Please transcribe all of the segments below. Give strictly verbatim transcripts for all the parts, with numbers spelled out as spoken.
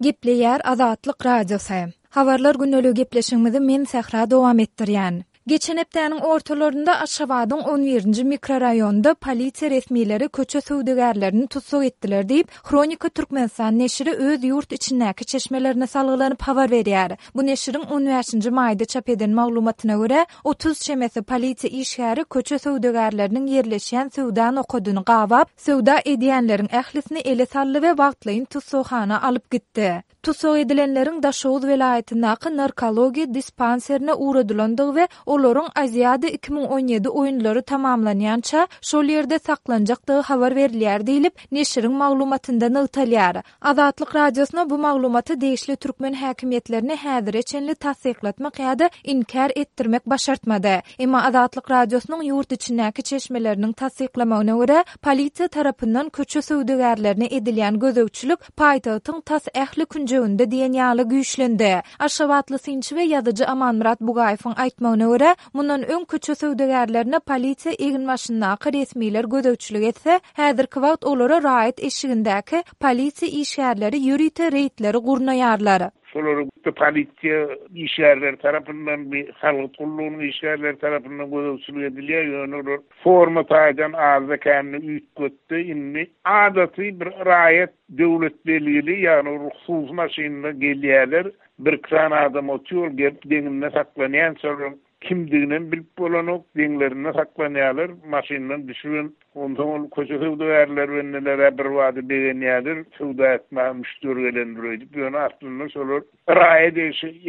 Gepleýär Azatlyk Radiosy. Habarlar gündeligi gepleşigimizi men Sähra dowam etdirýän. Geçen hepdäniň ortalarynda Aşgabadyň on birinji mikroraýonynda polisiýa resmileri köçe söwdagärlerini tussag etdiler diýip, Hronika Türkmenistan neşiri öz ýurt içindäki çeşmelerine salgylanyp habar berýär. Bu neşiriň on bäşinji maýda çap eden maglumatyna görä, otuz çemesi polisiýa işgäri köçe söwdagärleriniň ýerleşýän söwda nokadyny gabap, söwda edýänleriň ählisini ele saldy we wagtlaýyn tussaghana alyp gitdi. Tussag edilenleriň Daşoguz welaýatyndaky narkologiýa dispanserine ugradylandygy we olaryň Aziada iki müň on ýedi oýunlary tamamlanýança şol ýerde saklanjakdygy habar berilýär diýlip, neşiriň maglumatynda nygtalýar. Azatlyk Radiosyna bu maglumaty degişli türkmen häkimiýetlerine häzire çenli tassyklatmak ýa-da inkär etdirmek başartmady. Emma Azatlyk Radiosynyň ýurt içindäki çeşmeleriniň tassyklamagyna görä, polisiýa tarapyndan köçe söwdagärlerine edilýän gözegçilik paýtagtyň tas ähli künjeginde diýen ýaly güýçlendi. Aşgabatly synçy we ýazyjy Amanmyrat Bugaýewiň aýtmagyna görä, mundan öň köçe söwdagärlerine polisiýa eginbaşyndaky resmiler gözegçilik etse, häzirki wagt olara raýat eşigindäki polisiýa işgärleri ýörite reýdleri gurnaýarlar. Şolary polisiýa işgärleri tarapyndan, bir salgyt gullugynyň işgärleri tarapyndan gözegçilik edilýär. Ýöne olar forma taýdan azda kämli üýtgetdi. Indi adaty bir raýat döwlet belgili, ýagny hususy maşynda gelýärler. Bir kran adam otuýar, gelip deňinde saklanýan, şolaryň kimdigini bilip bolanok, deňlerinde saklanýarlar, maşyndan düşüren, onsoň ol köçe söwdagärler bendelere bir wady begenýärler, söwda etmäge müşderi gelendir öýdüp, ýöne aslynda şolar raýat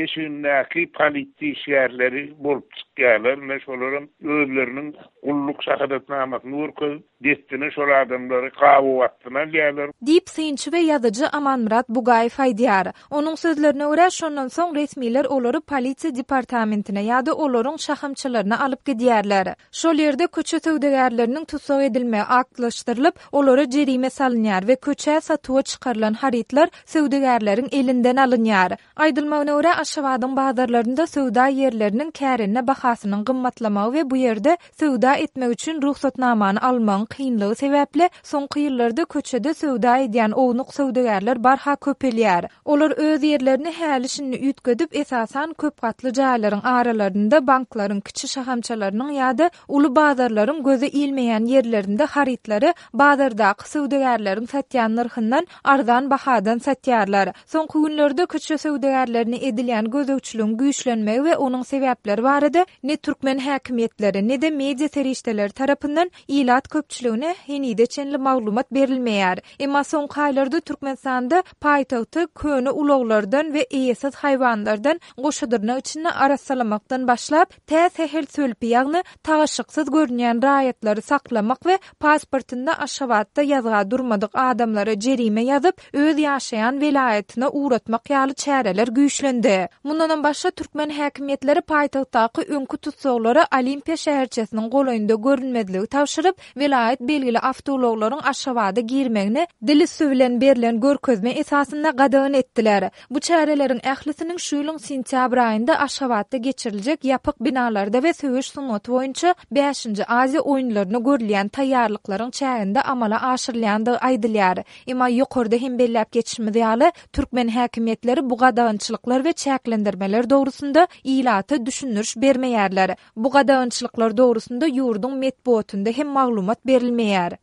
eşigindäki polisiýa işgärleri bolup çykýarlar. Ine şolaryň özleriniň gulluk şahadatnamasyny görkezip, destine şol adamlary gabaw astyna alýarlar. Diýip synçy we ýazyjy Amanmyrat Bugaýew aýdýar. Onuň sözlerine görä, şondan soň resmiler olary polisiýa departamentine ýa-da olaryň şahamçalaryna alyp gidýärler. Şol ýerde köçe söwdagärleriniň tussag edilmegi aktlaşdyrylyp, olara jerime salynýar we köçä satuwa çykarylan harytlar söwdagärleriň elinden alynýar. Aýdylmagyna görä, Aşgabadyň bazarlarynda söwda ýerleriniň kärende bahasynyň gymmatlamagy we bu ýerde söwda etmek üçin ruhsatnamany almagyň kynlygy sebäpli soňky ýyllarda köçede söwda edýän ownuk söwdagärler barha köpelýär. Olar öz ýerlerini häli şindi üýtgedip, esasan köp gatly jaýlaryň aralarynda, banklaryň kiçi şahamçalarynyň ýa-da uly bazarlaryň göze ilmeýän ýerlerinde harytlary bazardaky söwdagärleriň satýan nyrhyndan arzan bahadan satýarlar. Soňky günlerde köçe söwdagärlerine edilýän gözegçiligiň güýçlenmegi we onuň sebäpleri barada ne türkmen häkimiýetleri, ne de media serişdeleri tarapyndan ilat köpçüligine henize çenli maglumat berilmeýär. Emma soňky aýlarda Türkmenistanda paýtagty köne ulaglardan we eýesiz haýwanlardan goşadyrnak içinde arassalamakdan başlap, tä sähel sölpi, ýagny tagaşyksyz görünýän raýatlary saklamak we pasportynda Aşgabatda ýazga durmadyk adamlara jerime ýazyp, öz ýaşaýan welaýatyna ugratmak ýaly çäreler güýçlendi. Mundanam başga türkmen häkimiýetleri paýtagtdaky öňki tussaglara Olimpiýa şäherçesiniň golaýynda görünmezligi tabşyryp, welaýat belgili awtoulaglaryň Aşgabada girmegini dil üsti bilen berlen görkezme esasynda gadagan etdiler. Bu çäreleriň ählisiniň şu ýylyň sentýabr aýynda Aşgabatda geçiriljek ýapyk binalarda we söweş sungaty boýunça bäşinji Aziýa oýunlaryna görülýän taýýarlyklaryň çäginde amala aşyrylýandygy aýdylýar. Emma ýokarda hem belläp geçişimiz ýaly, türkmen häkimiýetleri bu gadagançylyklar we çäklendirmeler dogrusynda ilata düşündiriş bermeýärler. Bu gadagançylyklar dogrusynda ýurduň metbugatynda hem maglumat berilmeýär.